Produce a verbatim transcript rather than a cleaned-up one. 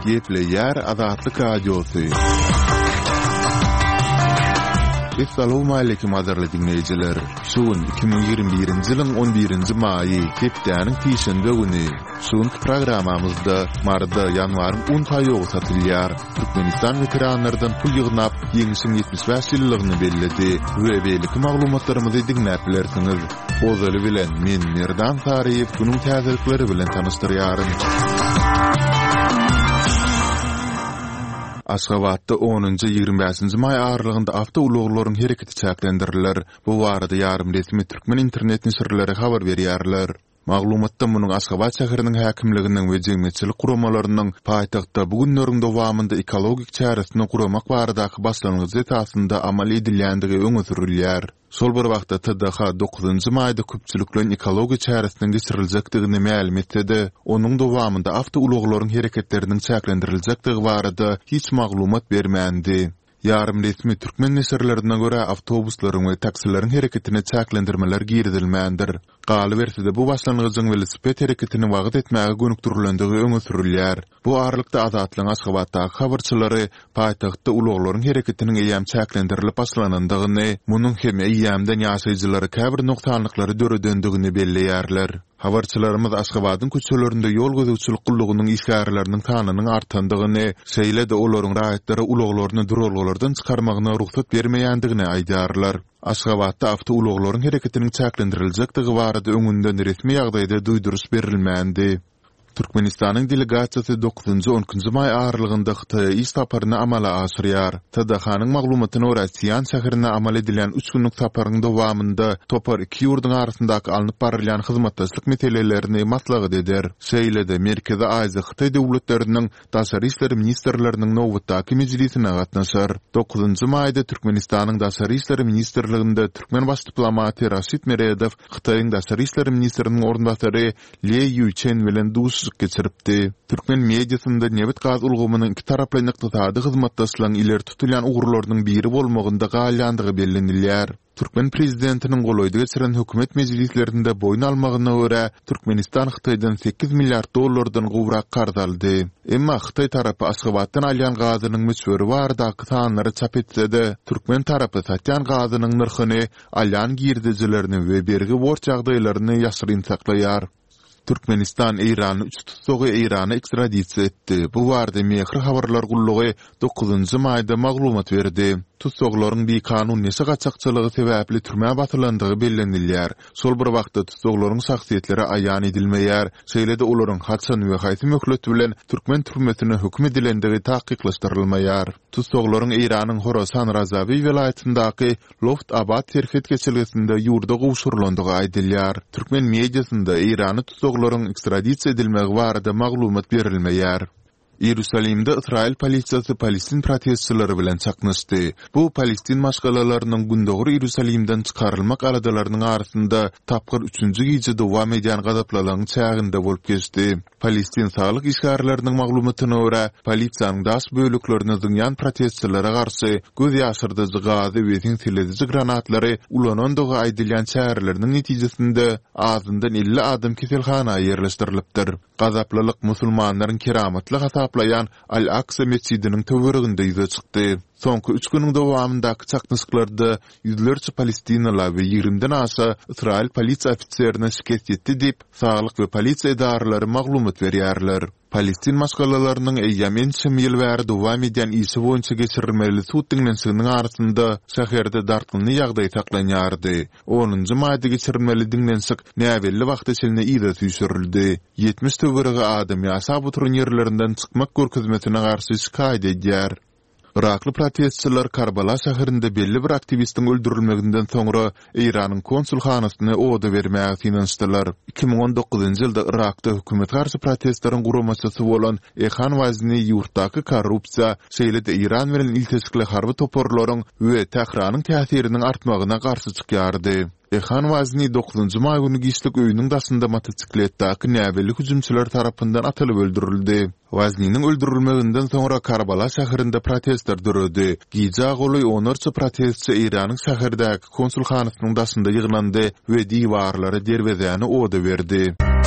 Gepleýär Azatlyk Radiosy. Essalawmaleýkim gadyrly diňleýjiler! Şu gün iki müň ýigrimi birinji ýylyň on birinji maýy, hepdäniň sişenbe güni. Şu günki programmamyzda Maryda ýanwaryň un paýogy satylýar, Türkmenistan weteranlardan pul ýygnap, Ýeňşiň ýetmiş bäş ýyllygyny belledi we beýleki maglumatlarymyzy diňläp bilersiňiz. Ozaly bilen, men Merdan Saryýew günüň täzelikleri bilen tanyşdyrýaryn. Aşgabatda onunjy, ýigrimi bäşinji maý aralygynda awtoulaglaryň hereketi çäklendiriler. Bu barada ýarym resmi türkmen internet neşirleri habar berýärler. Maglumatda munuň Aşgabat şäheriniň häkimliginiň we jemgyýetçilik guramalarynyň paýtagtda bu günleriň dowamynda ekologik çäresini guramak baradaky başlangyjy esasynda amal edilýändigi öňe sürülýär. Şol bir wagtda T D H dokuzynjy maýda köpçülikleýin ekologiýa çäresiniň geçiriljekdigini mälim etse-de, onuň dowamynda awtoulaglaryň hereketleriniň çäklendiriljekdigi barada hiç maglumat bermändi. Ýarym resmi türkmen neşirlerine görä, awtobuslaryň we taksileriň hereketine çäklendirmeler girizilmändir. Galyberse-de, bu başlangyjyň welosiped hereketini wagyz etmäge gönükdirilendigi öňe sürülýär. Bu aralykda Azatlygyň Aşgabatdaky habarçylary paýtagtda ulaglaryň hereketiniň eýýäm çäklendirilip başlanandygyny, munuň hem eýýämden ýaşaýjylara käbir nogsanlyklary döredendigini belleýärler. Habarçylarymyz Aşgabadyň köçelerinde ýol gözegçilik gullugynyň işgärleriniň sanynyň artandygyny, şeýle-de olaryň raýatlara ulaglaryny duralgalardan çykarmagyna rugsat bermeýändigini aýdýarlar. Aşgabatda awtoulaglaryň hereketiniň çäklendiriljekdigi barada öňünden resmi ýagdaýda duýduryş berilmändi. Türkmenistanyň delegasiýasy dokuzynjy, on ikinji maý aralygynda Hytaýa iş saparyny amala aşyrýar. T D H-nyň maglumatyna görä, Sian şäherine amal edilýän üç günlük saparyň dowamynda topar iki ýurduň arasyndaky alnyp barylýan hyzmatdaşlyk meselelerini maslahat eder. Şeýle-de, Merkezi Aziýa Hytaý döwletleriniň daşary işler ministrleriniň nobatdaky mejlisine gatnaşar. Dokuzynjy maýda Türkmenistanyň Daşary işler ministrliginde türkmen baş diplomaty Raşid Meredow Hytaýyň daşary işler ministriniň orunbasary Le Ýuçen bilen duşuşyk geçiripdi. Türkmen mediasynda nebit-gaz ulgamynyň ikitaraplaýyn ykdysady hyzmatdaşlygyň ileri tutulýan ugurlarynyň biri bolmagynda galýandygy bellenilýär. Türkmen prezidentiniň golaýda geçiren hökümet mejlislerinde boýun almagyna görä, Türkmenistan Hytaýdan sekiz milliard dollardan gowrak karz aldy. Emma hytaý tarapy Aşgabatdan alýan gazynyň möçberi baradaky sanlary çap etse-de, türkmen tarapy satýan gazynyň nyrhyny, alýan girdejilerini we bergi-borç ýagdaýlaryny ýaşyryn saklaýar. Türkmenistan eýranly üç tussagy Eýrana ekstradisiýa etdi. Bu barada Mehr habarlar gullugy dokuzynjy maýda maglumat berdi. Tussaglaryň bikanun neşe gaçakçylygy sebäpli türmä basylandygy bellenilýär. Şol bir wagtda tussaglaryň şahsyýetleri aýan edilmeýär, şeýle-de olaryň haçan we haýsy möhlet bilen türkmen türmesine höküm edilendigi takyklaşdyrylmaýar. Tussaglaryň Eýranyň Horasan Razawi welaýatyndaky Loft Abad serhet geçelgesinde ýurda gowşurylandygy aýdylýar. Türkmen mediasynda eýranly tussaglaryň ekstradisiýa edilmegi barada maglumat berilmeýär. Iýerusalimde ysraýyl polisiýasy palestin protestçileri bilen çaknyşdy. Bu palestin maşgalalarynyň Gündogar Iýerusalimden çykarylmak aladalarynyň arasynda tapgyr üçünji gije dowam edýän gazaplylygyň çäginde bolup geçdi. Palestin saglyk işgärleriniň maglumatyna görä, polisiýanyň daş böleklerini zyňýan protestçilere garşy göz ýaşyrdyjy gazy we seňselediji granatlary ulanandygy aýdylýan çäreleriniň netijesinde azyndan elli adam keselhana ýerleşdirilipdir. Gazaplylyk musulmanlaryň keramatly hasaplaýan Al-Aksa metjidiniň töwereginde ýüze çykdy. Soňky üç günüň dowamyndaky çaknyşyklarda ýüzlerçe palestinaly we ýigrimiden aşa ysraýyl polisiýa ofiserine şikes ýetdi diýip, saglyk we polisiýa edaralary maglumat berýärler. Palestin maşgalalarynyň eýýäm ençeme ýyl bäri dowam edýän işi boýunça geçirilmeli sud diňlenişiginiň arasynda şäherde dartgynly ýagdaý saklanýardy. Onunjy maýda geçirilmeli diňlenişik näbelli wagta çenli yza süýşürildi. Ýetmiş töweregi adam ýaşap oturan ýerlerinden çykmak görkezmesine garşy şikaýat edýär. Yrakly protestçiler Karbala şäherinde belli bir aktiwistiň öldürilmeginden soňra Eýranyň konsulhanasyny oda bermäge synanyşdylar. Iki müň on dokuzynjy ýylda Yrakda hökümete garşy protestleriň guramaçysy bolan Ehan Wazni ýurtdaky korrupsiýa, şeýle-de Eýran bilen ilteşikli harby toparlaryň we Tähranyň täsiriniň artmagyna garşy çykýardy. Ehan Wazni dokuzynjy maý güni giçlik öýüniň daşynda motosikletdäki näbelli hüjümçiler tarapyndan atylyp öldürildi. Wazniniň öldürilmeginden soňra Karbala şäherinde protestler döredi. Gijä golaý onlarça protestçi Eýranyň şäherdäki konsulhanasynyň daşynda ýygnandy we diwarlary, derwezäni oda berdi.